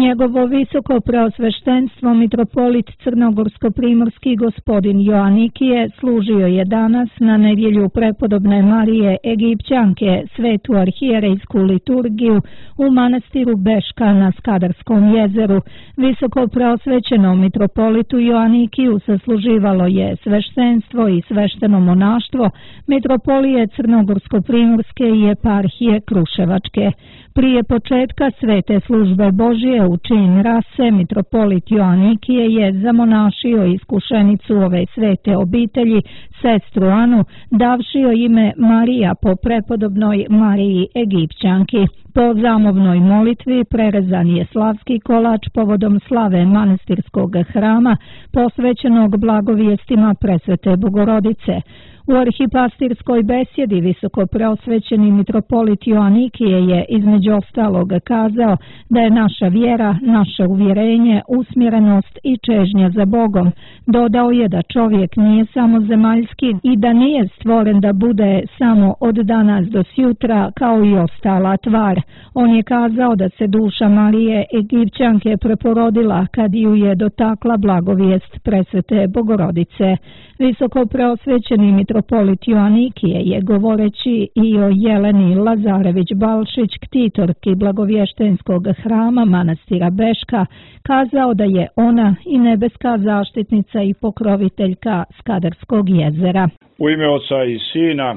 Njegovo visoko preosveštenstvo mitropolit crnogorsko-primorski gospodin Joanikije služio je danas na nedjelju prepodobne Marije Egipćanke svetu arhijerejsku liturgiju u manastiru Beška na Skadarskom jezeru. Visoko preosvećenom mitropolitu Joanikiju sasluživalo je sveštenstvo i svešteno monaštvo mitropolije crnogorsko-primorske i eparhije Kruševačke. Prije početka svete službe Božije u čin rase, mitropolit Joanikije je zamonašio iskušenicu ove svete obitelji, sestru Anu, davši joj ime Marija po prepodobnoj Mariji Egipćanki. Po zamovnoj molitvi prerezan je slavski kolač povodom slave manastirskog hrama posvećenog blagovijestima presvete Bogorodice. U arhipastirskoj besjedi visoko preosvećeni mitropolit Joanikije je između ostalog kazao da je naša vjera, naše uvjerenje, usmjerenost i čežnja za Bogom. Dodao je da čovjek nije samo zemaljski i da nije stvoren da bude samo od danas do sjutra kao i ostala tvar. On je kazao da se duša Marije Egipćanke preporodila kad ju je dotakla blagovijest presvete Bogorodice. Visoko preosvećeni mitropolit Joanikije je govoreći i o Jeleni Lazarević-Balšić, ktitorki blagovještenskog hrama manastira Beška, kazao da je ona i nebeska zaštitnica i pokroviteljka Skadarskog jezera. U ime Oca i Sina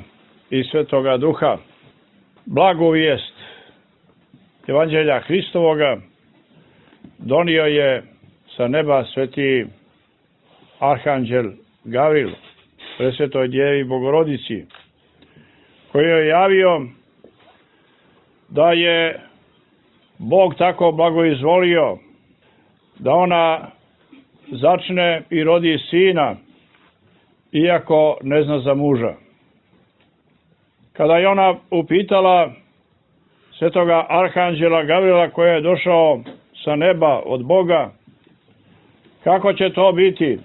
i Svetoga Duha, blagovijest Evanđelja Hristovoga donio je sa neba sveti arhanđel Gavril presvetoj Djevi Bogorodici, koji je javio da je Bog tako blagoizvolio da ona začne i rodi sina, iako ne zna za muža. Kada je ona upitala svetoga arhanđela Gavrila, koji je došao sa neba od Boga, kako će to biti,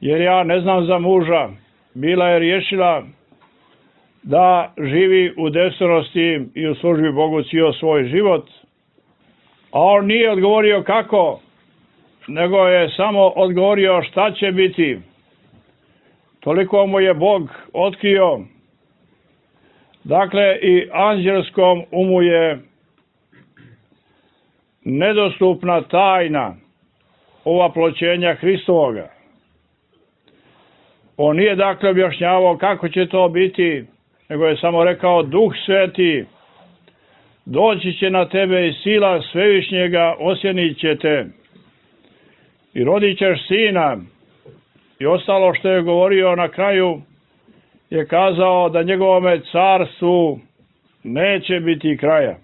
jer ja ne znam za muža, bila je riješila da živi u devstvenosti i u službi Bogu cijel svoj život, a on nije odgovorio kako, nego je samo odgovorio šta će biti. Toliko mu je Bog otkrio. Dakle, i anđelskom umu je nedostupna tajna ovaploćenja Hristovoga. On nije dakle objašnjavao kako će to biti, nego je samo rekao: Duh Sveti doći će na tebe i sila Svevišnjega osjenit će te i rodit ćeš sina. I ostalo što je govorio na kraju je kazao da njegovome carstvu neće biti kraja.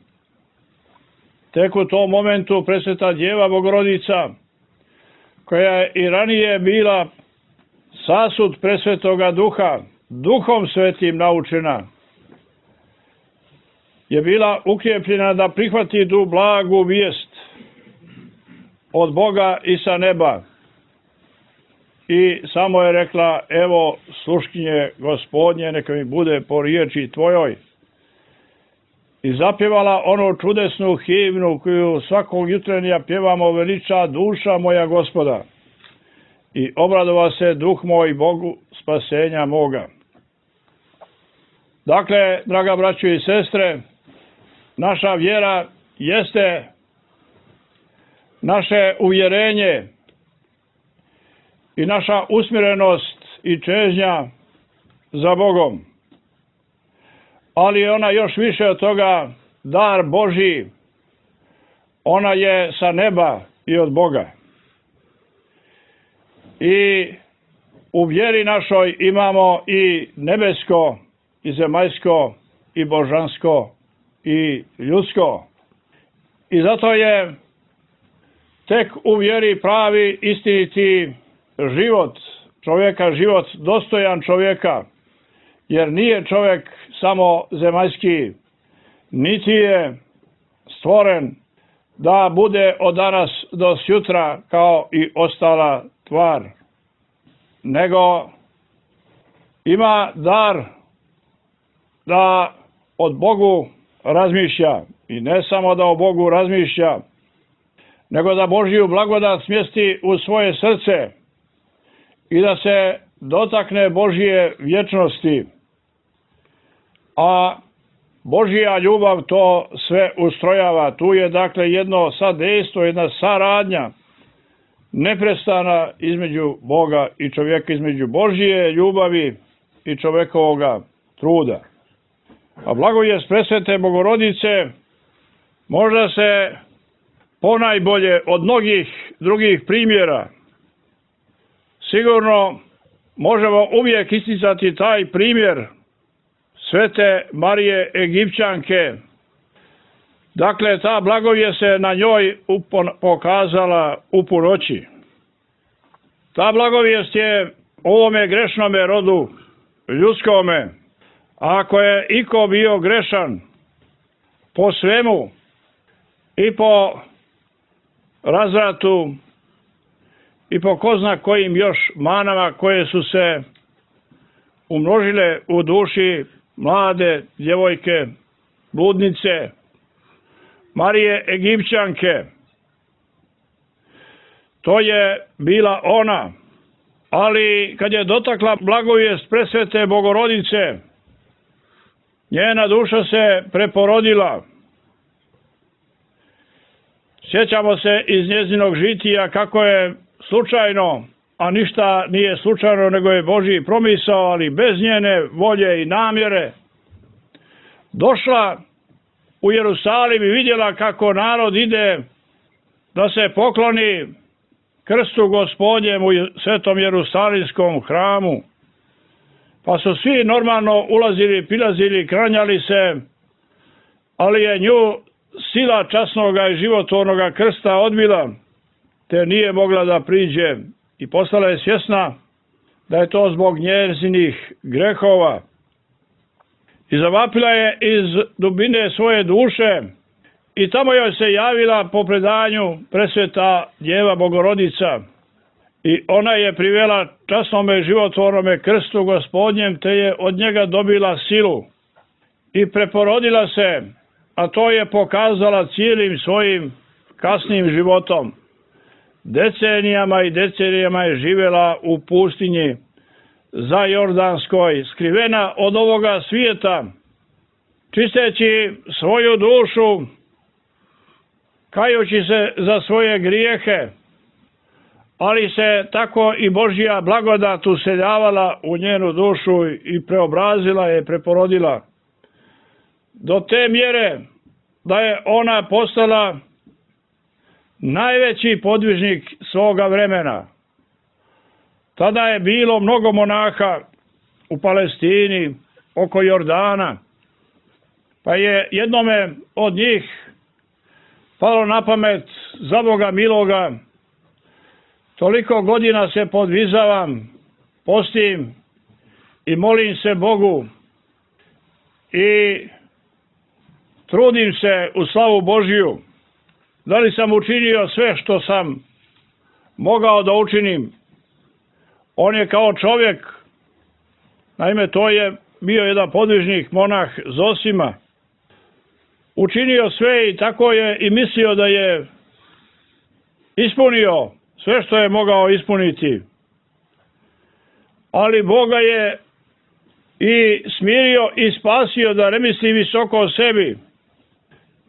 Tek u tom momentu presveta Djeva Bogorodica, koja je i ranije bila sasud presvetoga Duha, Duhom Svetim naučena, je bila ukrijepljena da prihvati tu blagu vijest od Boga i sa neba. I samo je rekla: evo sluškinje Gospodnje, neka mi bude po riječi tvojoj. I zapjevala onu čudesnu himnu koju svakog jutrenja pjevamo: veliča duša moja Gospoda. I obradova se duh moj Bogu spasenja moga. Dakle, draga braćo i sestre, naša vjera jeste naše uvjerenje i naša usmjerenost i čežnja za Bogom. Ali ona još više od toga dar Božji. Ona je sa neba i od Boga. I u vjeri našoj imamo i nebesko, i zemaljsko, i božansko, i ljudsko. I zato je tek u vjeri pravi, istiniti život čovjeka, život dostojan čovjeka, jer nije čovjek samo zemaljski, niti je stvoren da bude od danas do sutra kao i ostala tvar, nego ima dar da od Bogu razmišlja, i ne samo da o Bogu razmišlja, nego da Božju blagodat smjesti u svoje srce i da se dotakne Božje vječnosti. A Božja ljubav to sve ustrojava. Tu je dakle jedno sadejstvo, jedna saradnja neprestana između Boga i čovjeka, između Božje ljubavi i čovjekovoga truda. A blagovijest presvete Bogorodice možda se ponajbolje od mnogih drugih primjera sigurno možemo uvijek isticati taj primjer Svete Marije Egipćanke. Dakle, ta blagovijest se na njoj pokazala u punoći. Ta blagovijest je ovome grešnome rodu ljudskome, ako je iko bio grešan po svemu i po razvratu i po ko zna kojim još manama koje su se umnožile u duši mlade djevojke, bludnice, Marije Egipćanke. To je bila ona, ali kad je dotakla blagovijest presvete Bogorodice, njena duša se preporodila. Sjećamo se iz njezinog žitija kako je slučajno, a ništa nije slučajno nego je Božji promisao, ali bez njene volje i namjere, došla u Jerusalim i vidjela kako narod ide da se pokloni krstu Gospodnjem u svetom Jerusalimskom hramu. Pa su svi normalno ulazili, pilazili, klanjali se, ali je nju sila časnoga i životvornoga krsta odbila, te nije mogla da priđe i postala je svjesna da je to zbog njezinih grehova. I zavapila je iz dubine svoje duše i tamo joj se javila po predanju presveta Djeva Bogorodica. I ona je privela časnome životvornome krstu Gospodnjem, te je od njega dobila silu i preporodila se, a to je pokazala cijelim svojim kasnim životom. Decenijama i decenijama je živjela u pustinji za Jordanskoj, skrivena od ovoga svijeta, čisteći svoju dušu, kajući se za svoje grijehe, ali se tako i Božja blagodat useljavala u njenu dušu i preobrazila je, preporodila. Do te mjere da je ona postala najveći podvižnik svoga vremena. Tada je bilo mnogo monaha u Palestini, oko Jordana, pa je jednome od njih palo na pamet, za Boga miloga, toliko godina se podvizavam, postim i molim se Bogu i trudim se u slavu Božju. Da li sam učinio sve što sam mogao da učinim? On je kao čovjek, naime to je bio jedan podvižnik, monah Zosima, učinio sve i tako je i mislio da je ispunio sve što je mogao ispuniti. Ali Boga je i smirio i spasio da ne misli visoko o sebi,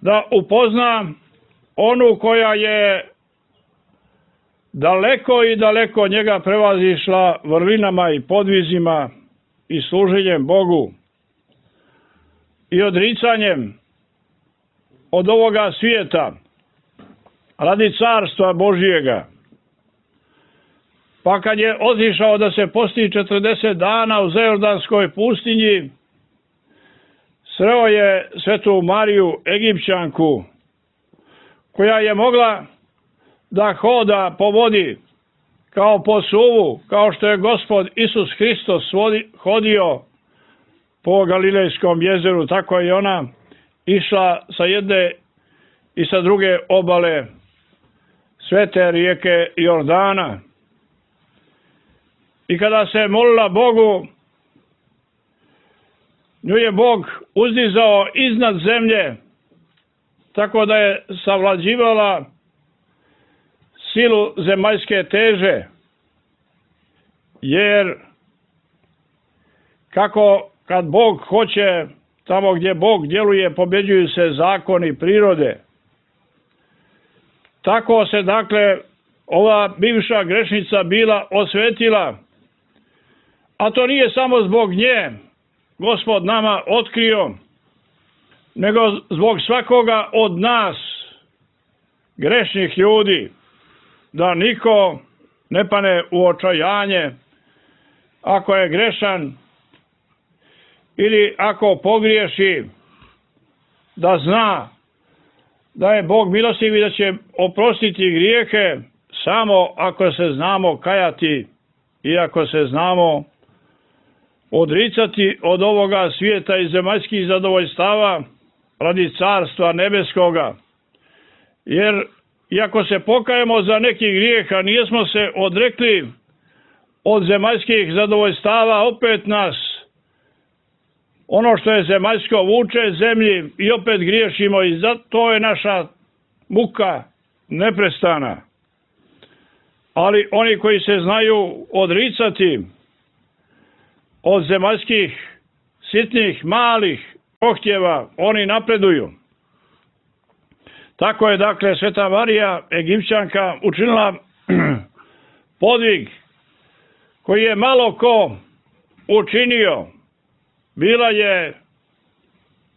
da upozna onu koja je daleko i daleko njega prevazišla vrlinama i podvizima i služenjem Bogu i odricanjem od ovoga svijeta radi carstva Božjega. Pa kad je otišao da se posti 40 dana u Zajordanskoj pustinji, sreo je svetu Mariju Egipćanku, koja je mogla da hoda po vodi kao po suvu, kao što je Gospod Isus Hristos hodio po Galilejskom jezeru, tako je ona išla sa jedne i sa druge obale svete rijeke Jordana. I kada se molila Bogu, nju je Bog uzdizao iznad zemlje, tako da je savlađivala silu zemaljske teže, jer kako kad Bog hoće, tamo gdje Bog djeluje, pobjeđuju se zakoni prirode. Tako se, dakle, ova bivša grešnica bila osvetila, a to nije samo zbog nje Gospod nama otkrio, nego zbog svakoga od nas, grešnih ljudi, da niko ne pane u očajanje ako je grešan ili ako pogriješi, da zna da je Bog milostiv i da će oprostiti grijehe samo ako se znamo kajati i ako se znamo odricati od ovoga svijeta i zemaljskih zadovoljstava radi carstva nebeskoga. Jer iako se pokajemo za neki grijeh, a nijesmo se odrekli od zemaljskih zadovoljstava, opet nas ono što je zemaljsko vuče zemlji i opet griješimo i zato je naša muka neprestana. Ali oni koji se znaju odricati od zemaljskih sitnih, malih prohtjeva, oni napreduju. Tako je, dakle, Sveta Marija Egipćanka učinila podvig koji je malo ko učinio. Bila je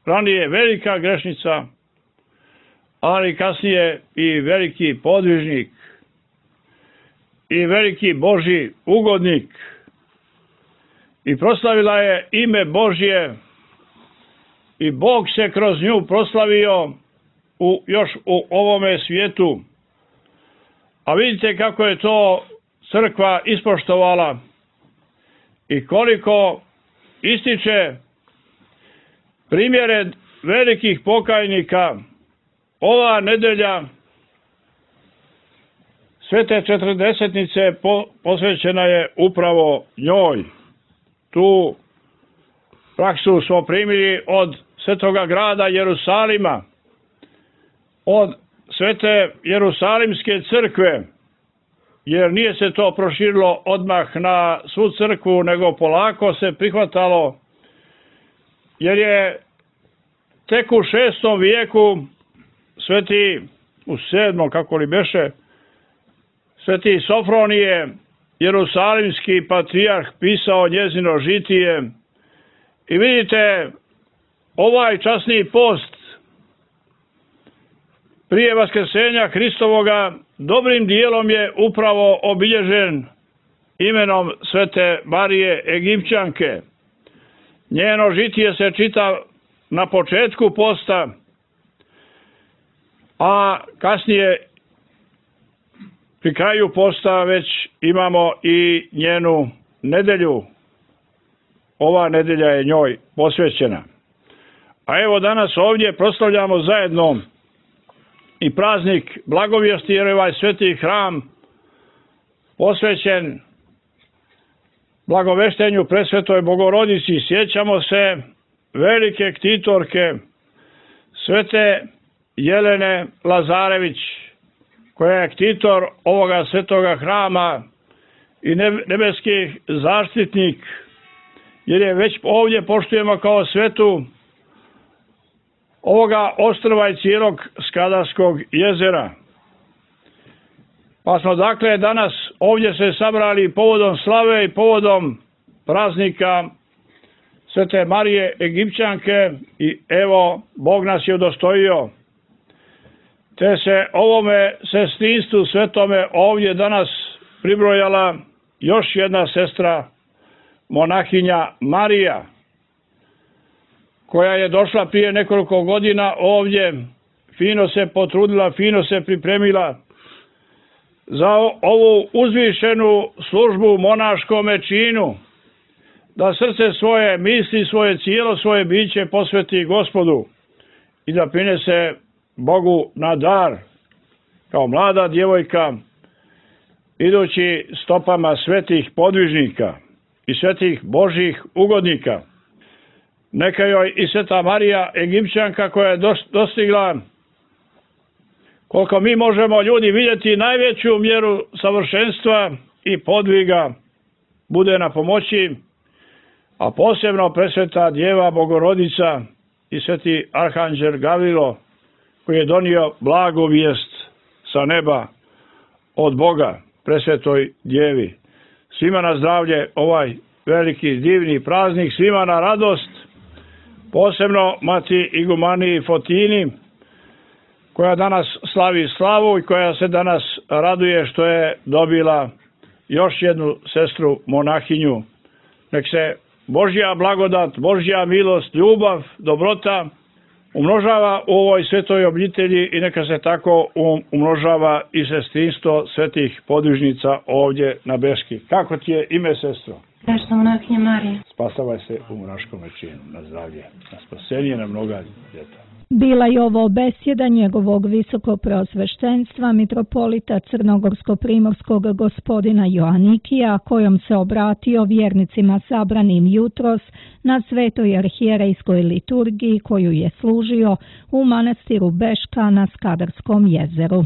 ranije velika grešnica, ali kasnije i veliki podvižnik i veliki Božji ugodnik. I proslavila je ime Božje i Bog se kroz nju proslavio još u ovome svijetu. A vidite kako je to crkva ispoštovala i koliko ističe primjere velikih pokajnika. Ova nedelja Svete Četrdesetnice posvećena je upravo njoj. Tu praksu smo primili od Svetoga grada Jerusalima, od Svete Jerusalimske crkve, jer nije se to proširilo odmah na svu crkvu, nego polako se prihvatalo, jer je tek u 6. vijeku sveti, u 7. kako li beše, sveti Sofronije, jerusalimski patrijarh, pisao njezino žitije. I vidite, ovaj časni post prije vaskrsenja Hristovoga dobrim dijelom je upravo obilježen imenom Svete Marije Egipćanke. Njeno žitije se čita na početku posta, a kasnije pri kraju posta već imamo i njenu nedelju. Ova nedelja je njoj posvećena. A evo danas ovdje proslavljamo zajedno i praznik Blagovijesti, jer je ovaj sveti hram posvećen blagoveštenju Presvetoj Bogorodici. Sjećamo se velike ktitorke Svete Jelene Lazarević, koja je ktitor ovoga svetoga hrama i nebeski zaštitnik, jer je već ovdje poštujemo kao svetu ovoga ostrva i cijelog Skadarskog jezera. Pa smo dakle danas ovdje se sabrali povodom slave i povodom praznika Svete Marije Egipćanke i evo Bog nas je udostojio. Te se ovome sestrinstvu svetome ovdje danas pribrojala još jedna sestra, monahinja Marija, koja je došla prije nekoliko godina ovdje, fino se potrudila, fino se pripremila za ovu uzvišenu službu monaškome činu, da srce svoje, misli svoje, cijelo svoje biće posveti Gospodu i da prinese Bogu na dar, kao mlada djevojka, idući stopama svetih podvižnika i svetih Božjih ugodnika. Neka joj i Sveta Marija Egipćanka, koja je dostigla Koliko mi možemo ljudi vidjeti najveću mjeru savršenstva i podviga bude na pomoći, a posebno presveta Djeva Bogorodica i sveti Arhanđel Gavrilo, koji je donio blagu vijest sa neba od Boga, presvetoj Djevi. Svima na zdravlje ovaj veliki divni praznik, svima na radost, posebno mati Igumaniji Fotini, koja danas slavi slavu i koja se danas raduje što je dobila još jednu sestru monahinju. Nek se Božja blagodat, Božja milost, ljubav, dobrota umnožava u ovoj svetoj obitelji i neka se tako umnožava i sestrinstvo svetih podvižnica ovdje na Beški. Kako ti je ime, sestro? Prešla monahinja Marija. Spasavaj se u monaškom činu, na zdravlje, na spasenje, na mnoga ljeta. Bila je ovo besjeda njegovog visokopreosveštenstva mitropolita crnogorsko-primorskog gospodina Joanikija, kojom se obratio vjernicima sabranim jutros na svetoj arhijerejskoj liturgiji koju je služio u manastiru Beška na Skadarskom jezeru.